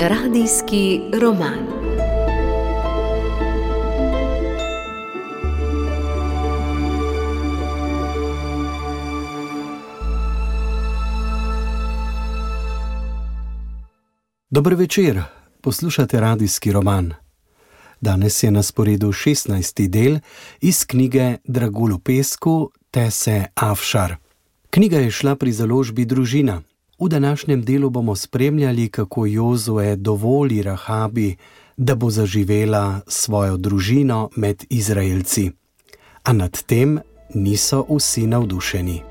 Radijski roman. Dober večer, poslušate radijski roman. Danes je na sporedu 16. del iz knjige Dragulj v pesku Tese Afšar. Knjiga je šla pri založbi Družina. V današnjem delu bomo spremljali, kako Jozue dovoli Rahabi, da bo zaživela svojo družino med Izraelci. A nad tem niso vsi navdušeni.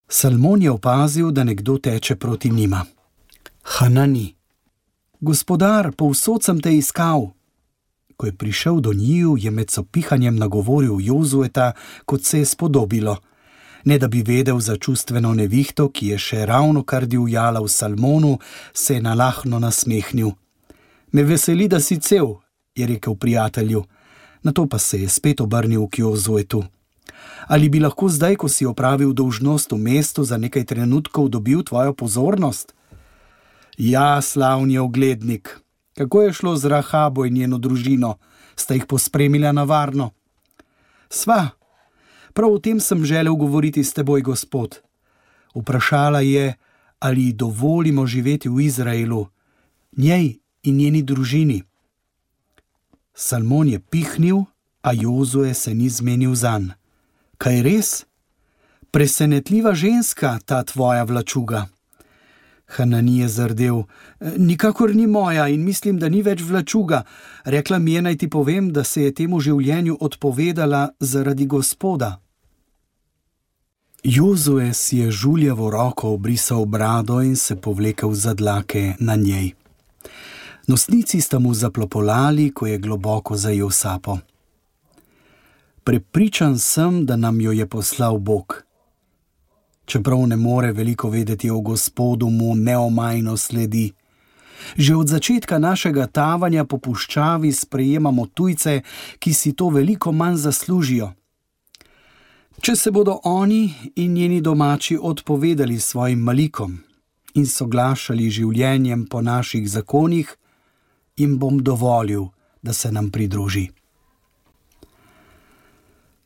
Salmon je opazil, da nekdo teče proti njima. Hanani. Gospodar, povsod sem te iskal. Ko je prišel do njiju, je med sopihanjem nagovoril Jozueta, kot se je spodobilo. Ne da bi vedel za čustveno nevihto, ki je še ravno kar divjala v Salmonu, se je nalahno nasmehnil. Me veseli, da si cel, je rekel prijatelju. Nato pa se je spet obrnil k Jozuetu. Ali bi lahko zdaj, ko si opravil dolžnost v mestu, za nekaj trenutkov dobil tvojo pozornost? Ja, slavni oglednik. Kako je šlo z Rahabo in njeno družino? Sta jih pospremila na varno? Sva, prav o tem sem želel govoriti s teboj, gospod. Vprašala je, ali dovolimo živeti v Izraelu, njej in njeni družini. Salmon je pihnil, a Jozue se ni zmenil zanj. Kaj res? Presenetljiva ženska, ta tvoja vlačuga. Hanani je zardel. Nikakor ni moja in mislim, da ni več vlačuga. Rekla mi je, naj ti povem, da se je temu življenju odpovedala zaradi Gospoda. Jozue si je žuljevo roko obrisal brado in se povlekel za dlake na njej. Nosnici sta mu zaplopolali, ko je globoko zajel sapo. Prepričan sem, da nam jo je poslal Bog. Čeprav ne more veliko vedeti o Gospodu, mu neomajno sledi. Že od začetka našega tavanja po puščavi sprejemamo tujce, ki si to veliko manj zaslužijo. Če se bodo oni in njeni domači odpovedali svojim malikom in soglašali življenjem po naših zakonih, jim bom dovolil, da se nam pridruži.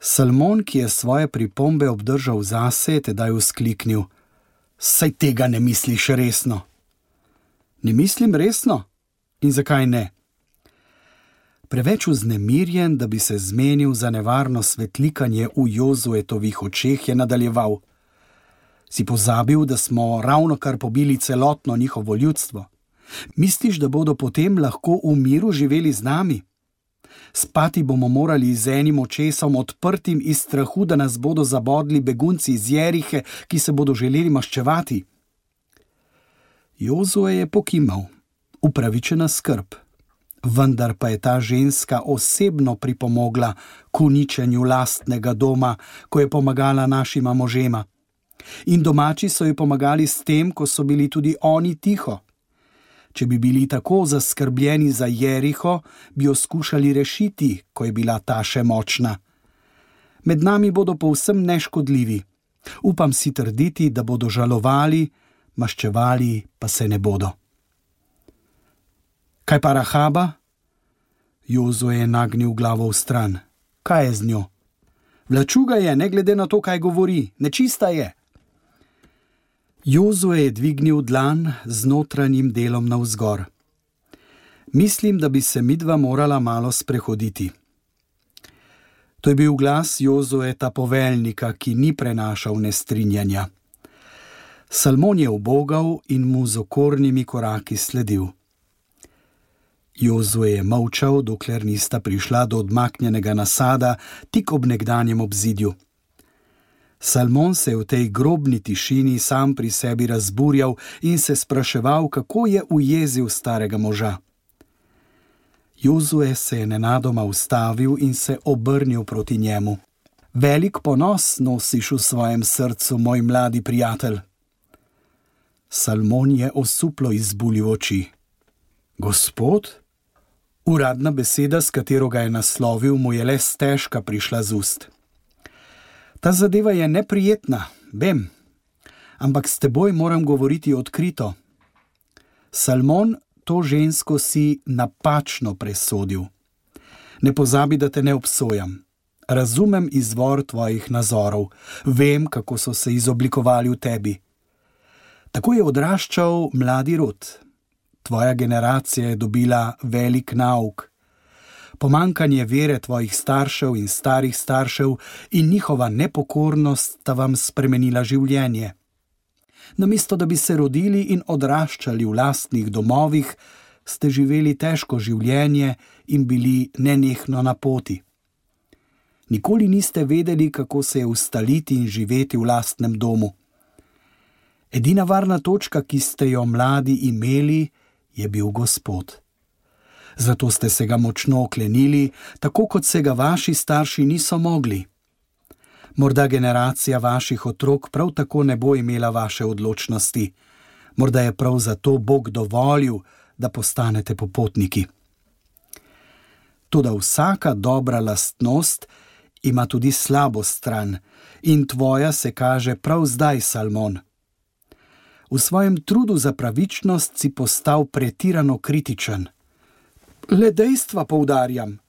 Salmon, ki je svoje pripombe obdržal zase, je tedaj vzkliknil. Saj tega ne misliš resno. Ne mislim resno? In zakaj ne? Preveč vznemirjen, da bi se zmenil za nevarno svetlikanje v Jozuetovih očeh, je nadaljeval. Si pozabil, da smo ravno kar pobili celotno njihovo ljudstvo? Misliš, da bodo potem lahko v miru živeli z nami? Spati bomo morali z enim očesom odprtim iz strahu, da nas bodo zabodli begunci iz Jerihe, ki se bodo želeli maščevati. Jozue je pokimal, upravičena skrb, vendar pa je ta ženska osebno pripomogla k uničenju lastnega doma, ko je pomagala našima možema. In domači so ji pomagali s tem, ko so bili tudi oni tiho. Če bi bili tako zaskrbljeni za Jeriho, bi jo skušali rešiti, ko je bila ta še močna. Med nami bodo povsem neškodljivi. Upam si trditi, da bodo žalovali, maščevali pa se ne bodo. Kaj pa Rahaba? Jozue je nagnil glavo v stran. Kaj je z njo? Vlačuga je, ne glede na to, kaj govori. Nečista je. Jozue je dvignil dlan z notranjim delom navzgor. Mislim, da bi se midva morala malo sprehoditi. To je bil glas Jozueta poveljnika, ki ni prenašal nestrinjanja. Salmon je ubogal in mu z okornimi koraki sledil. Jozue je molčal, dokler nista prišla do odmaknjenega nasada tik ob nekdanjem obzidju. Salmon se je v tej grobni tišini sam pri sebi razburjal in se spraševal, kako je ujezil starega moža. Jozue se je nenadoma ustavil in se obrnil proti njemu. Velik ponos nosiš v svojem srcu, moj mladi prijatelj. Salmon je osuplo izbuljil oči. Gospod? Uradna beseda, s katero ga je naslovil, mu je le stežka prišla z ust. Ta zadeva je neprijetna, vem, ampak s teboj moram govoriti odkrito. Salmon, to žensko si napačno presodil. Ne pozabi, da te ne obsojam. Razumem izvor tvojih nazorov, vem, kako so se izoblikovali v tebi. Tako je odraščal mladi rod. Tvoja generacija je dobila velik nauk. Pomanjkanje vere tvojih staršev in starih staršev in njihova nepokornost sta vam spremenila življenje. Namesto da bi se rodili in odraščali v lastnih domovih, ste živeli težko življenje in bili nenehno na poti. Nikoli niste vedeli, kako se je ustaliti in živeti v lastnem domu. Edina varna točka, ki ste jo mladi imeli, je bil Gospod. Zato ste se ga močno oklenili, tako kot se ga vaši starši niso mogli. Morda generacija vaših otrok prav tako ne bo imela vaše odločnosti. Morda je prav zato Bog dovolil, da postanete popotniki. Toda vsaka dobra lastnost ima tudi slabo stran in tvoja se kaže prav zdaj, Salmon. V svojem trudu za pravičnost si postal pretirano kritičen. Le dejstva poudarjam.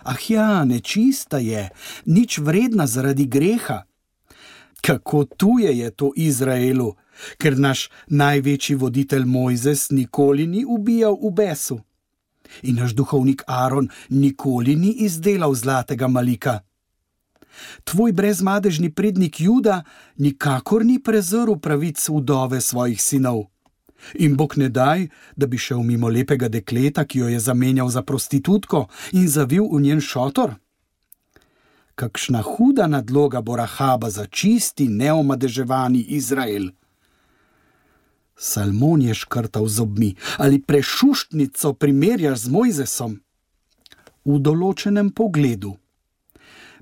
Ah ja, nečista je, nič vredna zaradi greha. Kako tuje je to Izraelu, ker naš največji voditelj Mojzes nikoli ni ubijal v besu. In naš duhovnik Aron nikoli ni izdelal zlatega malika. Tvoj brezmadežni prednik Juda nikakor ni prezrl pravic vdove svojih sinov. In Bog ne daj, da bi šel mimo lepega dekleta, ki jo je zamenjal za prostitutko in zavil v njen šotor. Kakšna huda nadloga bo Rahaba za čisti, neomadeževani Izrael. Salmon je škrtal zobmi. Ali prešuštnico primerjaš z Mojzesom? V določenem pogledu.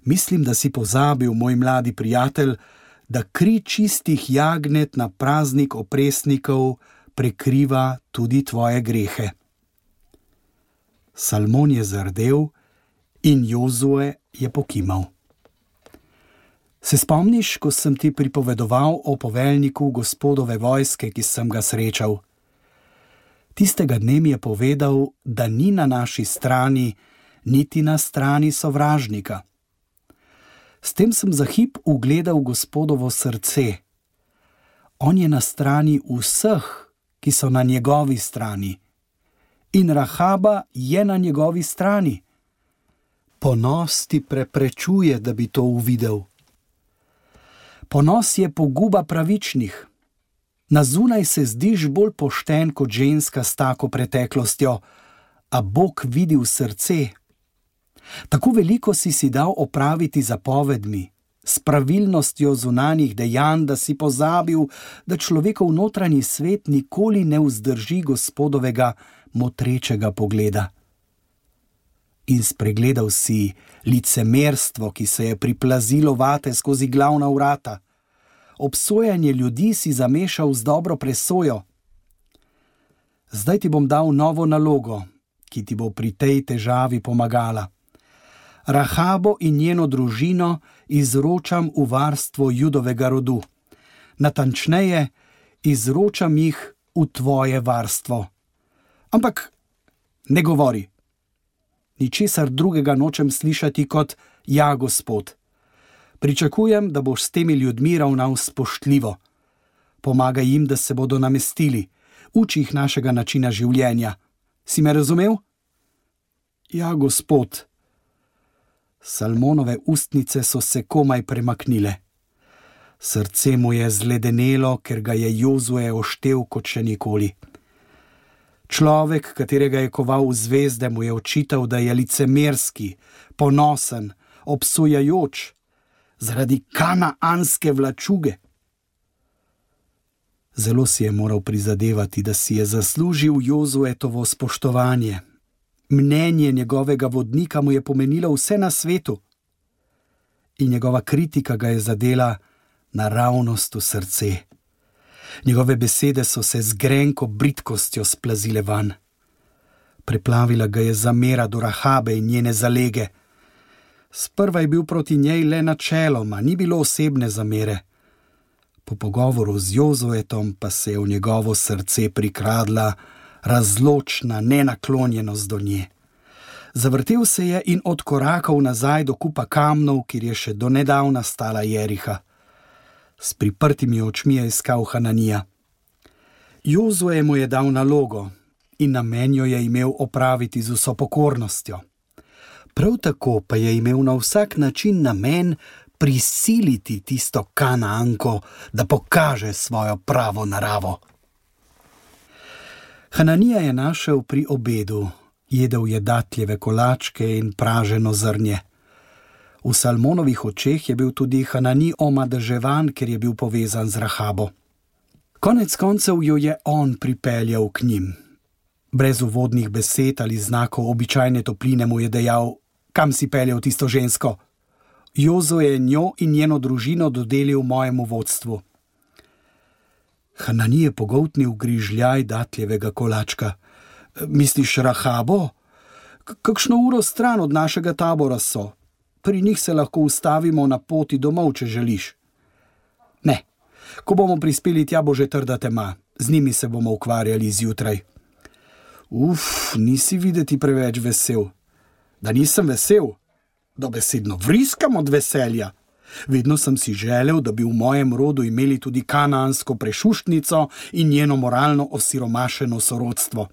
Mislim, da si pozabil, moj mladi prijatelj, da kri čistih jagnet na praznik opresnikov prekriva tudi tvoje grehe. Salmon je zardel in Jozue je pokimal. Se spomniš, ko sem ti pripovedoval o poveljniku Gospodove vojske, ki sem ga srečal? Tistega dne mi je povedal, da ni na naši strani, niti na strani sovražnika. S tem sem za hip ugledal Gospodovo srce. On je na strani vseh, ki so na njegovi strani. In Rahaba je na njegovi strani. Ponos ti preprečuje, da bi to uvidel. Ponos je poguba pravičnih. Na zunaj se zdiš bolj pošten kot ženska s tako preteklostjo, a Bog vidi v srce. Tako veliko si dal opraviti zapovedmi, s pravilnostjo zunanjih dejanj, da si pozabil, da človekov notranji svet nikoli ne vzdrži Gospodovega motrečega pogleda. In spregledal si licemerstvo, ki se je priplazilo vate skozi glavna vrata. Obsojanje ljudi si zamešal z dobro presojo. Zdaj ti bom dal novo nalogo, ki ti bo pri tej težavi pomagala. Rahabo in njeno družino izročam v varstvo Judovega rodu. Natančneje, izročam jih v tvoje varstvo. Ampak ne govori. Ničesar drugega nočem slišati kot ja, Gospod. Pričakujem, da boš s temi ljudmi ravnal spoštljivo. Pomagaj jim, da se bodo namestili. Uči jih našega načina življenja. Si me razumel? Ja, Gospod. Salmonove ustnice so se komaj premaknile. Srce mu je zledenelo, ker ga je Jozue oštel kot še nikoli. Človek, katerega je koval v zvezde, mu je očital, da je licemerski, ponosen, obsojajoč, zaradi kanaanske vlačuge. Zelo si je moral prizadevati, da si je zaslužil Jozuetovo spoštovanje. Mnenje njegovega vodnika mu je pomenilo vse na svetu in njegova kritika ga je zadela naravnost v srce. Njegove besede so se z grenko bridkostjo splazile van. Preplavila ga je zamera do Rahabe in njene zalege. Sprva je bil proti njej le načeloma, ni bilo osebne zamere. Po pogovoru z Jozuetom pa se je v njegovo srce prikradla razločna nenaklonjenost do nje. Zavrtel se je in odkorakal nazaj do kupa kamnov, kjer je še do nedavna stala Jeriha. S priprtimi očmi je iskal Hananija. Jozue mu je dal nalogo in namen jo je imel opraviti z vso pokornostjo. Prav tako pa je imel na vsak način namen prisiliti tisto Kanaanko, da pokaže svojo pravo naravo. Hananija je našel pri obedu, jedel je datljeve kolačke in praženo zrnje. V Salmonovih očeh je bil tudi Hanani omadeževan, ker je bil povezan z Rahabo. Konec koncev jo je on pripeljal k njim. Brez uvodnih besed ali znakov običajne topline mu je dejal: kam si peljal tisto žensko? Jozue je njo in njeno družino dodelil mojemu vodstvu. Hanani je pogoltnil grižljaj datljevega kolačka. Misliš Rahabo? Kakšno uro stran od našega tabora so? Pri njih se lahko ustavimo na poti domov, če želiš. Ne, ko bomo prispeli tja, bo že trda tema. Z njimi se bomo ukvarjali zjutraj. Nisi videti preveč vesel. Da nisem vesel? Dobesedno vriskam od veselja. Vedno sem si želel, da bi v mojem rodu imeli tudi kanaansko prešuštnico in njeno moralno osiromašeno sorodstvo.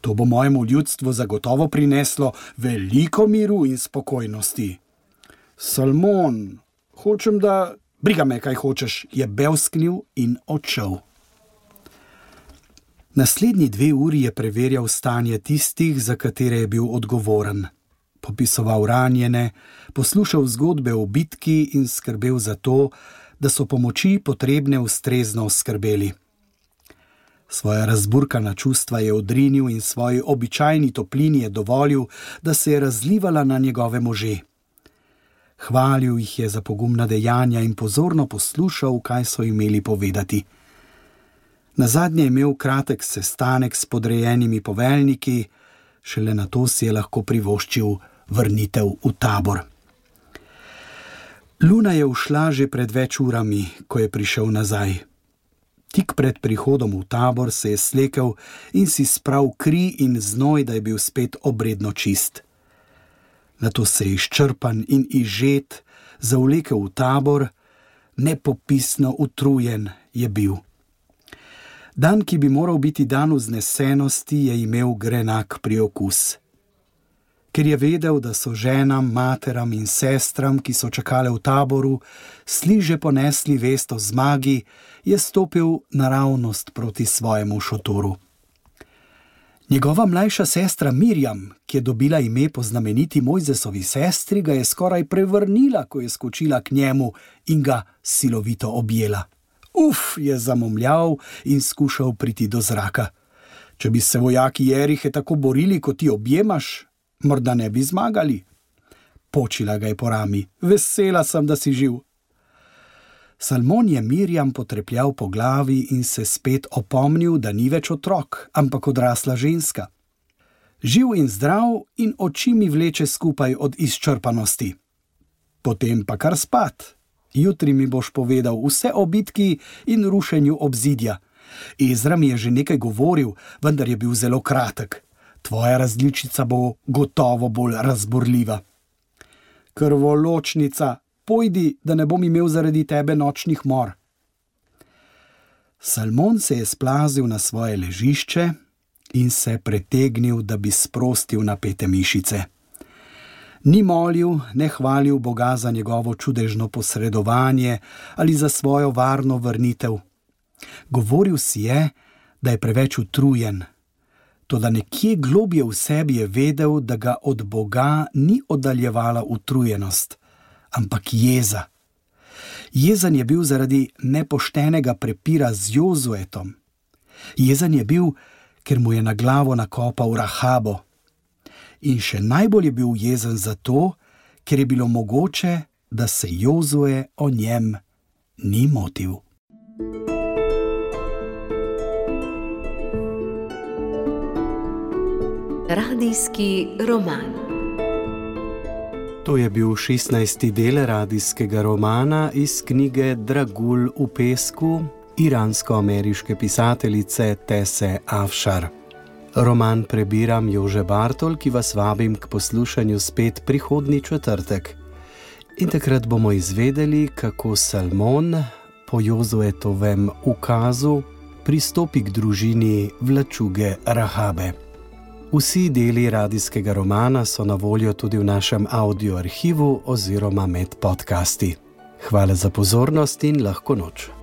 To bo mojemu ljudstvu zagotovo prineslo veliko miru in spokojnosti. Salmon, hočem da... Briga me, kaj hočeš, je bevsknil in odšel. Naslednji 2 uri je preverjal stanje tistih, za katere je bil odgovoren. Popisoval ranjene, poslušal zgodbe o bitki in skrbel za to, da so pomoči potrebne ustrezno oskrbeli. Svoja razburkana čustva je odrinil in svoji običajni toplini je dovolil, da se je razlivala na njegove može. Hvalil jih je za pogumna dejanja in pozorno poslušal, kaj so imeli povedati. Nazadnje je imel kratek sestanek s podrejenimi poveljniki, šele nato si je lahko privoščil vrnitev v tabor. Luna je ušla že pred več urami, ko je prišel nazaj. Tik pred prihodom v tabor se je slekel in si spral kri in znoj, da je bil spet obredno čist. Nato se je izčrpan in izžet zavlekel v tabor, nepopisno utrujen je bil. Dan, ki bi moral biti dan vznesenosti, je imel grenak priokus. Ker je vedel, da so ženam, materam in sestram, ki so čakale v taboru, sliže ponesli vest o zmagi, je stopil naravnost proti svojemu šotoru. Njegova mlajša sestra Mirjam, ki je dobila ime po znameniti Mojzesovi sestri, ga je skoraj prevrnila, ko je skočila k njemu in ga silovito objela. Je zamomljal in skušal priti do zraka. Če bi se vojaki Jerihe tako borili, kot ti objemaš, morda ne bi zmagali. Počila ga je po rami. Vesela sem, da si živ. Salmon je Mirjam potrepljal po glavi in se spet opomnil, da ni več otrok, ampak odrasla ženska. Živ in zdrav in oči mi vleče skupaj od izčrpanosti. Potem pa kar spat. Jutri mi boš povedal vse o bitki in rušenju obzidja. Ezra mi je že nekaj govoril, vendar je bil zelo kratek. Tvoja različica bo gotovo bolj razburljiva. Krvoločnica, pojdi, da ne bom imel zaradi tebe nočnih mor. Salmon se je splazil na svoje ležišče in se pretegnil, da bi sprostil napete mišice. Ni molil, ne hvalil Boga za njegovo čudežno posredovanje ali za svojo varno vrnitev. Govoril si je, da je preveč utrujen. Toda nekje globje v sebi je vedel, da ga od Boga ni oddaljevala utrujenost, ampak jeza. Jezen je bil zaradi nepoštenega prepira z Jozuetom. Jezen je bil, ker mu je na glavo nakopal Rahabo. In še najbolj je bil jezen zato, ker je bilo mogoče, da se Jozue o njem ni motil. Radijski roman. To je bil 16. del radijskega romana iz knjige Dragulj v pesku iransko-ameriške pisateljice Tese Afšar. Roman prebiram Jože Bartol, ki vas vabim k poslušanju spet prihodnji četrtek. In takrat bomo izvedeli, kako Salmon po Jozuetovem ukazu pristopi k družini vlačuge Rahabe. Vsi deli radijskega romana so na voljo tudi v našem audio arhivu oziroma med podcasti. Hvala za pozornost in lahko noč.